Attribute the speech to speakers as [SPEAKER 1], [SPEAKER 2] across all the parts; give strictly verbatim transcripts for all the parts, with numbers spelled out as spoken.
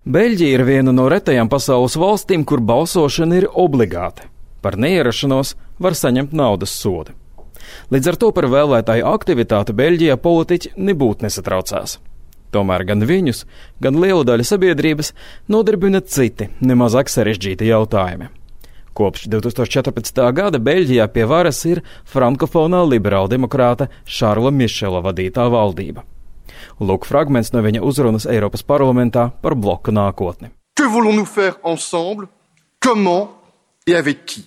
[SPEAKER 1] Beļģija ir viena no retajām pasaules valstīm, kur balsošana ir obligāta. Par neierašanos var saņemt naudas sodu. Līdz ar to par vēlētāju aktivitāti Beļģijā politiķi nebūtu nesatraucās. Tomēr gan viņus, gan lielu daļu sabiedrības nodarbina citi, nemazāk sarežģīti jautājumi. Kopš divs tūkstoši četrpadsmitā gada Beļģijā pie varas ir frankofonā liberāldemokrāta Šarla Mišela vadītā valdība. Lūk fragments no viņa uzrunas Eiropas parlamentā par bloka nākotni.
[SPEAKER 2] Que voulons-nous faire ensemble? Comment et avec qui?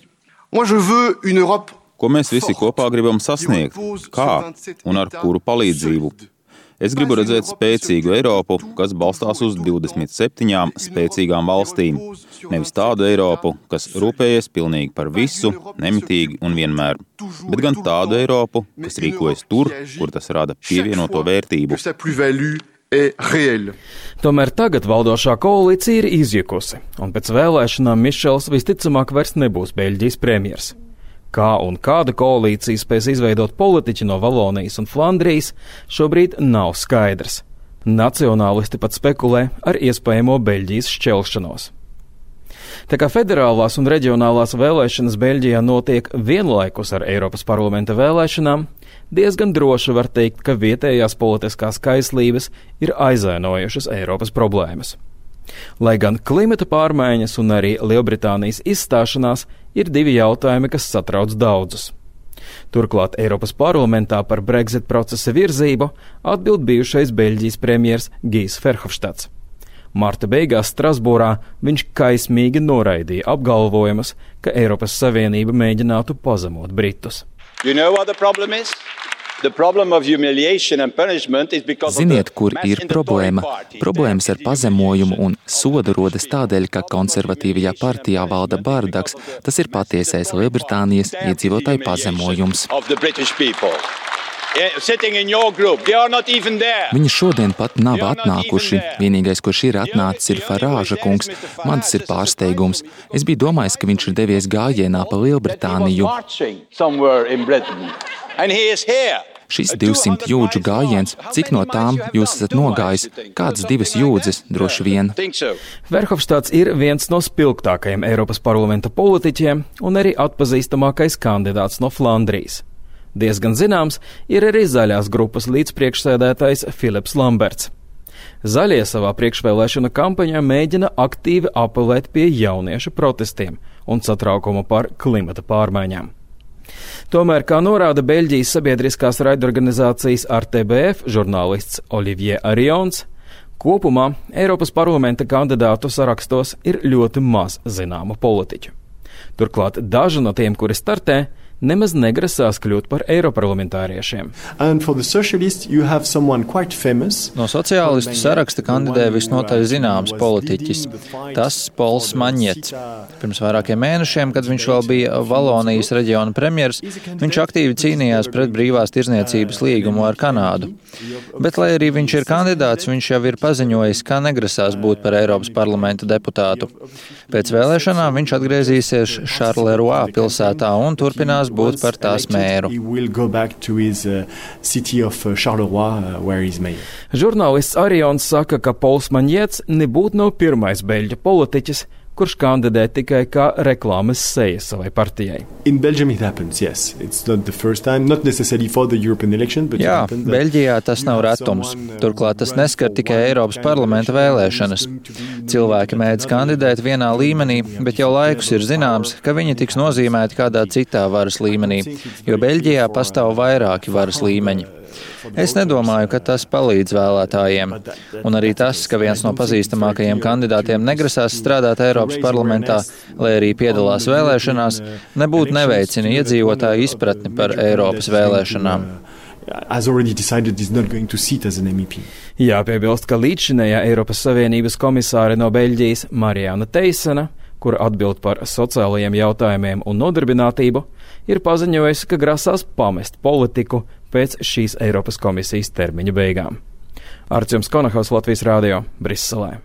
[SPEAKER 2] Moi je veux une Europe.
[SPEAKER 3] Ko mēs visi kopā gribam sasniegt? Kā un ar kuru palīdzību? Es gribu redzēt spēcīgu Eiropu, kas balstās uz divdesmit septiņām spēcīgām valstīm. Nevis tādu Eiropu, kas rūpējies pilnīgi par visu, nemitīgi un vienmēr. Bet gan tādu Eiropu, kas rīkojas tur, kur tas rada pievienoto vērtību.
[SPEAKER 1] Tomēr tagad valdošā koalīcija ir izjukusi, un pēc vēlēšanām Mišels visticamāk vairs nebūs Beļģijas premjers. Kā un kāda koalīcija spēs izveidot politiķi no Valonijas un Flandrijas, šobrīd nav skaidrs. Nacionālisti pat spekulē ar iespējamo Beļģijas šķelšanos. Tā kā federālās un reģionālās vēlēšanas Beļģijā notiek vienlaikus ar Eiropas parlamenta vēlēšanām, diezgan droši var teikt, ka vietējās politiskās kaislības ir aizvainojušas Eiropas problēmas. Lai gan klimata pārmaiņas un arī Lielbritānijas izstāšanās ir divi jautājumi, kas satrauc daudzus. Turklāt Eiropas parlamentā par Brexit procesa virzību atbild bijušais Beļģijas premjers Gijs Verhofstadts. Marta beigās Strasbūrā viņš kaismīgi noraidīja apgalvojumus, ka Eiropas Savienība mēģinātu pazemot Britus.
[SPEAKER 4] You know what the problem is?
[SPEAKER 5] Ziniet, kur ir problēma? Problēmas ar pazemojumu un sodu rodas tādēļ, ka konservatīvajā partijā valda bardaks. Tas ir patiesais Lielbritānijas iedzīvotāju pazemojums. Viņi šodien pat nav atnākuši. Vienīgais, kurš ir atnācis, ir Farāža kungs. Man tas ir pārsteigums. Es biju domājis, ka viņš ir devies gājienā pa Lielbritāniju. Šis divsimt jūdžu gājiens, cik no tām jūs esat nogājis? Kādas divas jūdzes, droši vien?
[SPEAKER 1] Verhofstadts ir viens no spilgtākajiem Eiropas parlamenta politiķiem un arī atpazīstamākais kandidāts no Flandrijas. Diezgan zināms ir arī zaļās grupas līdzpriekšsēdētājs Filips Lamberts. Zaļie savā priekšvēlēšana kampaņā mēģina aktīvi apelēt pie jauniešu protestiem un satraukumu par klimata pārmaiņām. Tomēr, kā norāda Beļģijas sabiedriskās raidorganizācijas R T B F žurnālists Olivier Arions, kopumā Eiropas parlamenta kandidātu sarakstos ir ļoti maz zināmu politiķu. Turklāt daži no tiem, kuri startē, nemaz negrasās kļūt par eiroparlamentāriešiem.
[SPEAKER 6] No sociālistu saraksta kandidē visnotaļ zināms politiķis. Tas Pols Maņets. Pirms vairākiem mēnešiem, kad viņš vēl bija Valonijas reģiona premjers, viņš aktīvi cīnījās pret brīvās tirzniecības līgumu ar Kanādu. Bet, lai arī viņš ir kandidāts, viņš jau ir paziņojis, ka negrasās būt par Eiropas parlamenta deputātu. Pēc vēlēšanām viņš atgriezīsies Charleroi pilsētā un turpinās būt par tās mēru.
[SPEAKER 1] Žurnālists Arions saka, ka Pols Maņets nebūtu nav pirmais beļģu politiķis, kurš kandidē tikai kā reklāmas seja savai partijai.
[SPEAKER 6] Jā, Beļģijā tas nav retums. Turklāt tas neskar tikai Eiropas parlamenta vēlēšanas. Cilvēki mēdz kandidēt vienā līmenī, bet jau laikus ir zināms, ka viņi tiks nozīmēti kādā citā varas līmenī, jo Beļģijā pastāv vairāki varas līmeņi. Es nedomāju, ka tas palīdz vēlētājiem. Un arī tas, ka viens no pazīstamākajiem kandidātiem negrasās strādāt Eiropas parlamentā, lai arī piedalās vēlēšanās, nebūtu neveicina iedzīvotāju izpratni par Eiropas vēlēšanām.
[SPEAKER 1] Jāpiebilst, ka līdzšinējā Eiropas Savienības komisāre no Beļģijas Mariana Teisena, kur atbild par sociālajiem jautājumiem un nodarbinātību, ir paziņojusi, ka grasās pamest politiku pēc šīs Eiropas komisijas termiņa beigām. Artjoms Konahaus, Latvijas Rādio, Briselē.